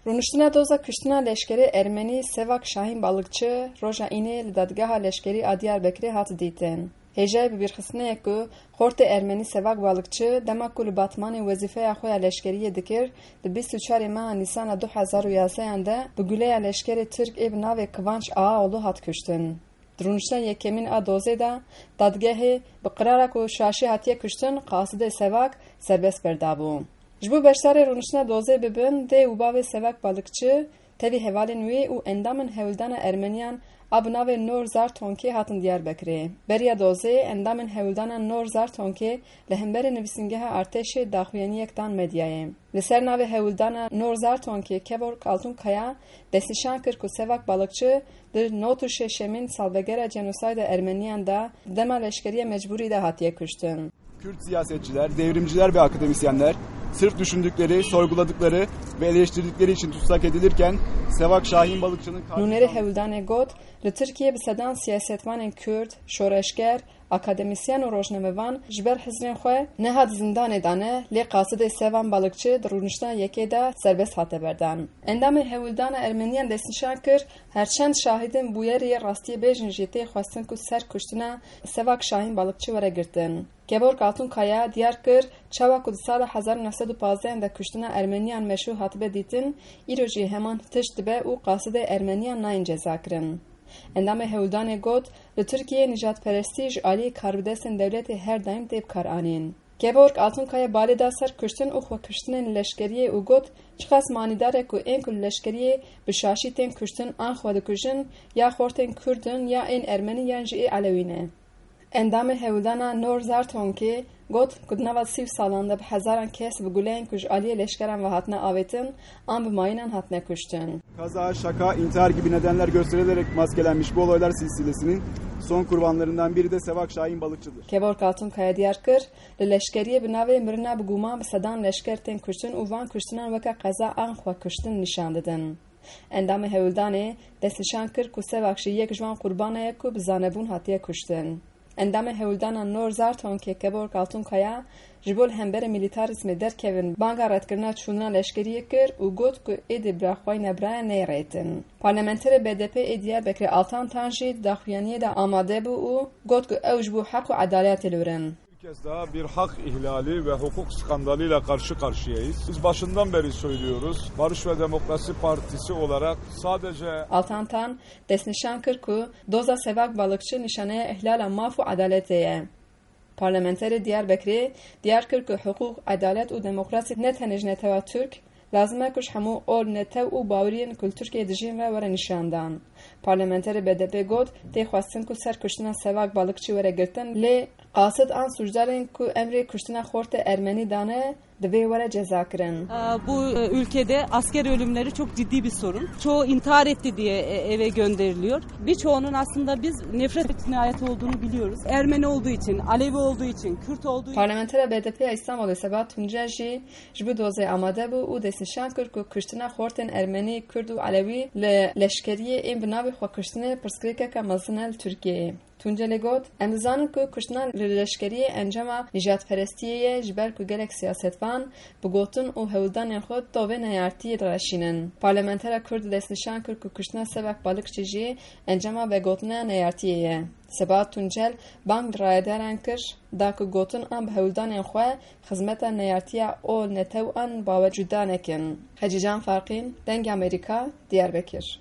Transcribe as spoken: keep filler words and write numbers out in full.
Rûniştina doza kuştina leşkerê ermenî Sevak Şahîn Balıkçı roja înê li dadgeha leşkerî a Diyarbekirê hat dîtin. Hêjayê bibîrxistinê ye ku xortê ermenî Sevak Balıkçı dema ku li Batmanê wezîfeya xwe ya leşkeriyê dikir, di bîst û çarê meha Nîsana du hezar û yazdeyan de bi guleya leşkerê Tirk ê bi navê Kıvanç Ağaoğlu hat kuştin. Di rûniştina yekemîn a dozê de dadgehê bi qirara ku şaşî hatiye kuştin, qasidê Sevak serbest berdabû. Ji bo beşdarê rûniştina dozê bibin, dê û bavê Sevak Balıkçı, tevî hevalên wî û endamên hewldana ermeniyan a bi navê Nor Zartonkê hatin Diyarbekirê. Beriya dozê, endamên hewldana Nor Zartonkê li hemberî nivîsîngeha artêşê daxuyaniyek dan medyayê. Li ser navê hewldana Nor Zartonkê Kevork Altunkaya destnîşan kir ku Sevak Balıkçı di nod û şeşemîn salvegera cenosayda ermeniyan de di dema leşkeriya mecbûrî de hatiye kuştin. Kürt siyasetçiler, devrimciler ve akademisyenler sırf düşündükleri, sorguladıkları ve eleştirdikleri için tutsak edilirken Sevak Şahin Balıkçı'nın Nûnerê karşısında hewldanê got, li Tirkiyê bi sedan siyasetvanên Kurd, şoreşger, akademisyen û rojnamevan ji ber hizrên xwe ne hat zindanê dane, lê qasidê Sevan Balıkçı di rûniştina yekê de serbest hate berdan. Endamê hewldana ermeniyan destnîşan kir, herçend şahidên bûyerê yê rastiyê bêjin jî tê xwestin ku ser kuştina Sevak Şahin Balıkçı were girtin. Kevork Altunkaya diyar kir, çawa ku di sala hezar û neh sed û pazdeh de kuştina ermeniyan meşû hatibe dîtin, îro jî heman tişt dibe û qasidê ermeniyan nayên cezakirin. Endamê hewldanê got, li Tirkiyeyê nijadperestî ji alî karbidestên dewletê her daîm tê bikaranîn. Kevork Altunkaya balê da ser kuştin û xwekuştinên leşkeriyê û got, çiqas manîdar e ku ên ku li leşkeriyê bi şaşî tên kuştin an xwe dikujin, ya xortên Kurd in ya ên Ermenî yan jî ê Elewî ne. Endamê hewldana Nor Zartonkê got ku di nava sî salan de bi hezaran kes bi guleyên ku ji aliyê leşkeran ve hatine avêtin, an bi mayînan hatine kuştin. Kaza, şaka, intihar gibi nedenler gösterilerek maskelenmiş bu olaylar silsilesinin son kurbanlarından biri de Sevak Şahin Balıkçı'dır. Kevork Altunkaya diyar kir, li leşkeriyê bi navê mirina bi guman bi sedan leşker tên kuştin û van kuştinan weke qeza an xwe kuştin nîşan didin. Endamê hewldanê destnîşan kir ku Sevak jî yek ji wan qurbana ye ku bi zanebûn hatiye kuştin. Endamê hewldana Nor Zartonkê Kevork Altunkaya ji bo li hemberî milîtarîzmê derkevin banga redkirina çûnina leşkeriyê kir û got ku êdî biraxwayîna birayan neyê rêtin. Parlamenterê B D P ê Diyarbekirê Altan Tan jî di daxuyaniyê de amade bû û got ku ew ji bo heq û edaletê li wir in. Bir kez daha bir hak ihlali ve hukuk skandalıyla karşı karşıyayız. Biz başından beri söylüyoruz. Barış ve Demokrasi Partisi olarak sadece Altan Tan destnîşan kir ku doza Sevak Balıkçı nîşaneya îhlala maf û edaletê ye. Parlamenterê Diyarbekirê diyar kir ku hiqûq, edalet û demokrasî ne tenê ji netewa Tirk, lazim e ku ji hemû ol netew û baweriyên ku li Tirkiyeyê dijîn ve were nîşandan. Parlamenterê B D P got, tê xwestin ku ser kuştina Sevak Balıkçı were girtin, lê qasid an sûcdarên ku emrê kuştina xortê Ermenî dane, divê were cezakirin. Ee, Bu e, ülkede asker ölümleri çok ciddi bir sorun. Çoğu intihar etti diye e, eve gönderiliyor. Birçoğunun aslında biz nefret cinayeti olduğunu biliyoruz. Ermeni olduğu için, Alevi olduğu için, Kürt olduğu için. Parlamentera B D P ya Îstanbulê Sebahat Tuncel jî ji bo dozê amade bû û destnîşan kir ku kuştina xortên Ermenî, Kurd û Elewî li leşkeriyê ên bi navê xwekuştinê pirsgirêkeke mezin e li Tirkiyeyê. Tuncelê got, em dizanin ku kuştina li leşkeriyê encama nîjadperestiyê ye, ji ber ku gelek siyasetvan bi gotin û hewldanên xwe tovê neyartiyê direşînin. Parlamentera Kurd destnîşan kir ku kuştina Sevak Balıkçı jî encama vegotina neyartiyê ye. Sebahat Tuncel bang li rayedaran kir, da ku gotin an bi hewldanên xwe xizmeta neyartiya ol netew an bawer cuda nekin. Hecîcan Farqîn, Dengê Amerîka, Diyarbekir.